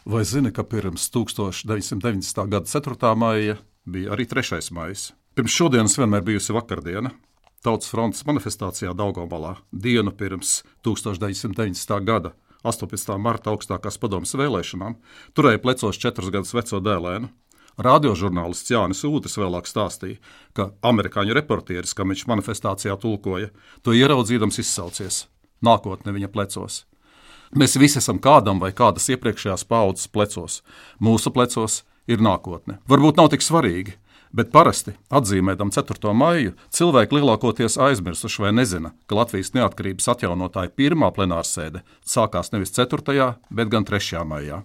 Vai zini, ka pirms 1990. gada 4. maija bija arī 3. maijs? Pirms šodienas vienmēr bijusi vakardiena. Tautas frontes manifestācijā Daugavpilī dienu pirms 1990. gada 18. marta augstākās padomes vēlēšanām turēja plecos 4 gadus veco dēlēnu. Radiožurnālists Jānis Ūtis vēlāk stāstīja, ka amerikāņu reportieris, kam viņš manifestācijā tulkoja, to ieraudzīdams izsaucies: nākotne viņa plecos. Mēs visi esam kādam vai kādas iepriekšējās paaudzes plecos. Mūsu plecos ir nākotne. Varbūt nav tik svarīgi, bet parasti, atzīmēdam 4. maiju, cilvēki lielākoties aizmirsuši vai nezina, ka Latvijas neatkarības atjaunotāja pirmā plenārsēde sākās nevis 4., bet gan 3. maijā.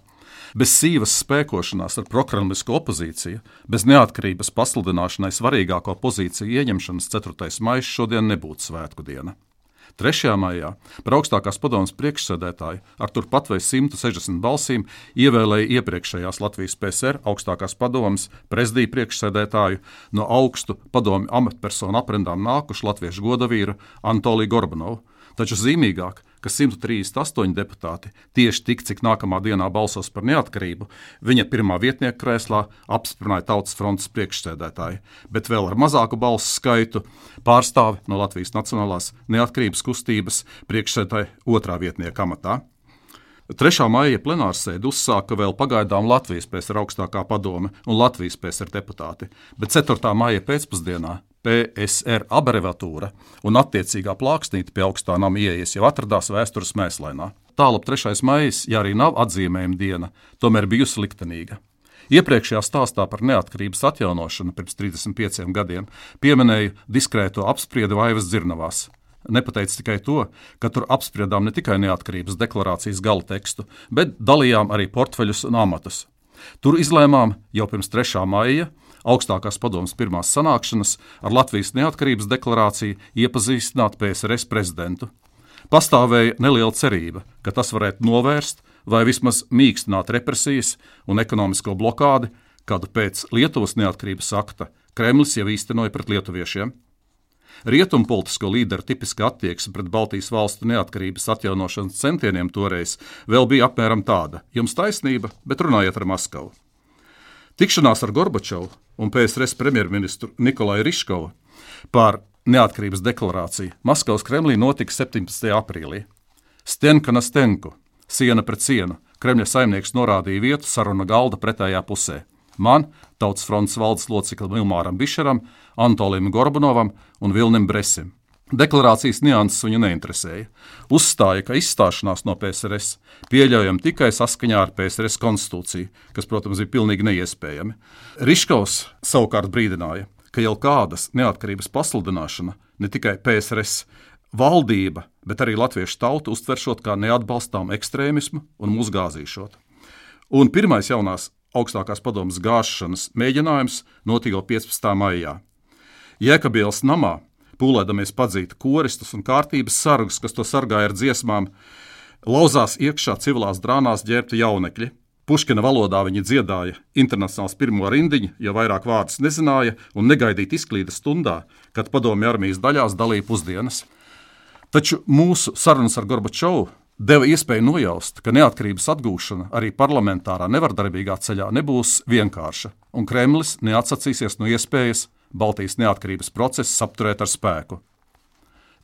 Bez sīvas spēkošanās ar prokremlisku opozīciju, bez neatkarības pasludināšanai svarīgāko pozīciju ieņemšanas 4. maijs šodien nebūtu svētku diena. 3. maijā par augstākās padomes priekšsēdētāju ar turpat vai 160 balsīm ievēlēja iepriekšējās Latvijas PSR augstākās padomes prezidija priekšsēdētāju no augstu padomju amatpersonu aprindām nākušu latviešu godavīru Antoliju Gorbanovu. Taču zīmīgāk, ka 138 deputāti tieši tik, cik nākamā dienā balsos par neatkarību, viņa pirmā vietnieka krēslā apstiprināja Tautas frontes priekšsēdētāju, bet vēl ar mazāku balsu skaitu pārstāvi no Latvijas Nacionālās neatkarības kustības priekšsēdētāja 2. vietnieka amatā. 3. maija plenārsēdi uzsāka vēl pagaidām Latvijas PSR augstākā padome un Latvijas PSR deputāti, bet 4. maija pēcpusdienā PSR abreviatūra un attiecīgā plāksnīte pie augstā nama ieejas jau atradās vēstures mēslainā. Tālāk 3. maijs, ja arī nav atzīmējuma diena, tomēr bijusi liktenīga. Iepriekšējā stāstā par neatkarības atjaunošanu pirms 35 gadiem pieminēju diskrēto apspriedi Vaivas dzirnavās. Nepateicu tikai to, ka tur apspriedām ne tikai neatkarības deklarācijas gala tekstu, bet dalījām arī portfeļus un amatus. Tur izlēmām jau pirms 3. maija augstākās padomes pirmās sanākšanas ar Latvijas neatkarības deklarāciju iepazīstināt PSRS prezidentu. Pastāvēja neliela cerība, ka tas varētu novērst vai vismaz mīkstināt represijas un ekonomisko blokādi, kādu pēc Lietuvas neatkarības akta Kremlis jau īstenoja pret lietuviešiem. Rietumu politisko līderu tipiska attieksme pret Baltijas valstu neatkarības atjaunošanas centieniem toreiz vēl bija apmēram tāda: jums taisnība, bet runājiet ar Maskavu. Tikšanās ar Gorbačovu un PSRS premjerministru Nikolaju Riškovu par neatkarības deklarāciju Maskavas Kremlī notika 17. aprīlī. Stenka na stenku, siena pret sienu, Kremļa saimnieks norādīja vietu saruna galda pretējā pusē. Man, Tautas frontes valdes loceklim Ilmāram Bišeram, Antolijam Gorbanovam un Vilnim Bresim. Deklarācijas nianses viņu neinteresēja. Uzstāja, ka izstāšanās no PSRS pieļaujama tikai saskaņā ar PSRS konstitūciju, kas, protams, bija pilnīgi neiespējami. Riškovs savukārt brīdināja, ka jau kādas neatkarības pasludināšana ne tikai PSRS valdība, bet arī latviešu tauta uztveršot kā neatbalstām ekstrēmismu un mūs gāzīšot. Un pirmais jaunās augstākās padomes gāšanas mēģinājums notika 15. maijā. Jēkabielas namā, pūlēdamies padzīt koristus un kārtības sargus, kas to sargāja ar dziesmām, lauzās iekšā civilās drānās ģērbti jaunekļi. Puškina valodā viņi dziedāja internacionāls pirmo rindiņu, jo vairāk vārdus nezināja un negaidīt izklīda stundā, kad padomju armijas daļās dalīja pusdienas. Taču mūsu sarunas ar Gorbačovu deva iespēju nojaust, ka neatkarības atgūšana arī parlamentārā nevardarbīgā ceļā nebūs vienkārša, un Kremlis neatsacīsies no iespējas Baltijas neatkarības procesu apturēt ar spēku.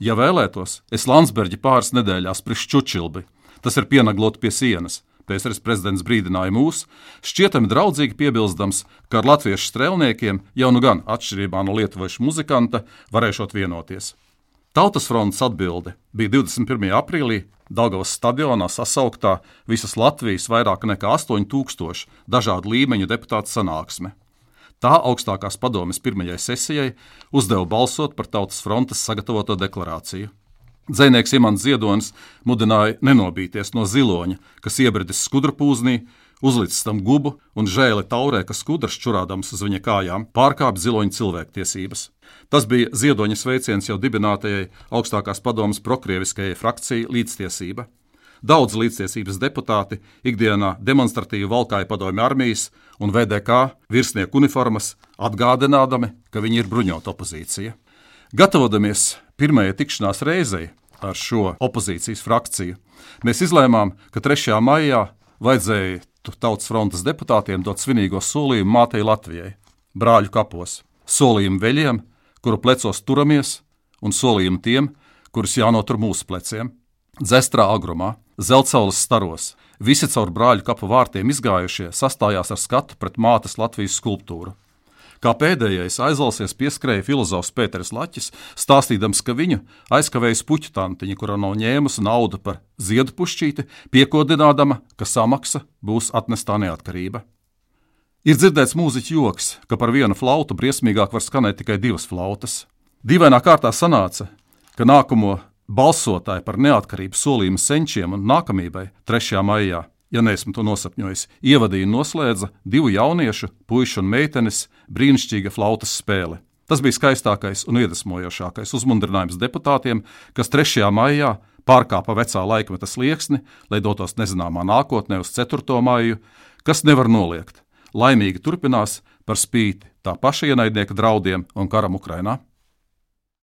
Ja vēlētos, es Landsbergi pāris nedēļās priekš Čučilbi, tas ir pienaglot pie sienas, PSRS prezidents brīdināja mūs, šķietami draudzīgi piebilstams, ka ar latviešu strēlniekiem jau nu gan atšķirībā no lietuviešu muzikanta varēšot vienoties. Tautas frontes atbilde bija 21. aprīlī Daugavas stadionā sasauktā visas Latvijas vairāk nekā 8000 dažādu līmeņu deputātu sanāksme. Tā augstākās padomes pirmajai sesijai uzdeva balsot par Tautas frontes sagatavoto deklarāciju. Dzejnieks Imants Ziedonis mudināja nenobīties no ziloņa, kas iebridis skudrpūznī, uzlicis tam gubu un žēli taurē, kas skudrs čurādams uz viņa kājām pārkāp ziloņa cilvēktiesības. Tas bija Ziedoņa sveiciens jau dibinātajai augstākās padomes prokrieviskajai frakcijai Līdztiesība. Daudz līdztiesības deputāti ikdienā demonstratīvi valkāja padomju armijas un VDK virsnieku uniformas, atgādinādami, ka viņi ir bruņota opozīcija. Gatavodamies pirmajai tikšanās reizei ar šo opozīcijas frakciju, mēs izlēmām, ka 3. maijā vajadzēja Tautas frontes deputātiem dot svinīgo solījumu mātei Latvijai, brāļu kapos, solījumu veļiem, kuru plecos turamies, un solījumu tiem, kurus jānotur mūsu pleciem. Dzestrā agrumā, Zeltsaules staros, visi caur brāļu kapu vārtiem izgājušie sastājās ar skatu pret mātes Latvijas skulptūru. Kā pēdējais aizlalsies pieskrēja filozofs Pēteris Laķis, stāstīdams, ka viņu aizkavējas puķu tantiņa, kura nav ņēmusi naudu par ziedu pušķīti, piekodinādama, ka samaksa būs atnestā neatkarība. Ir dzirdēts mūziķu joks, ka par vienu flautu briesmīgāk var skanēt tikai 2 flautas. Dīvainā kārtā sanāca, ka nākamo balsotāju par neatkarību solījumu senčiem un nākamībai 3. maijā, ja neesmu to nosapņojis, ievadīja un noslēdza 2 jauniešu, puišu un meitenes brīnišķīga flautas spēle. Tas bija skaistākais un iedvesmojošākais uzmundrinājums deputātiem, kas 3. maijā pārkāpa vecā laikmeta slieksni, lai dotos nezināmā nākotnē uz 4. maiju, kas nevar noliegt. Laimīgi turpinās par spīti tā paša ienaidnieka draudiem un karam Ukrainā.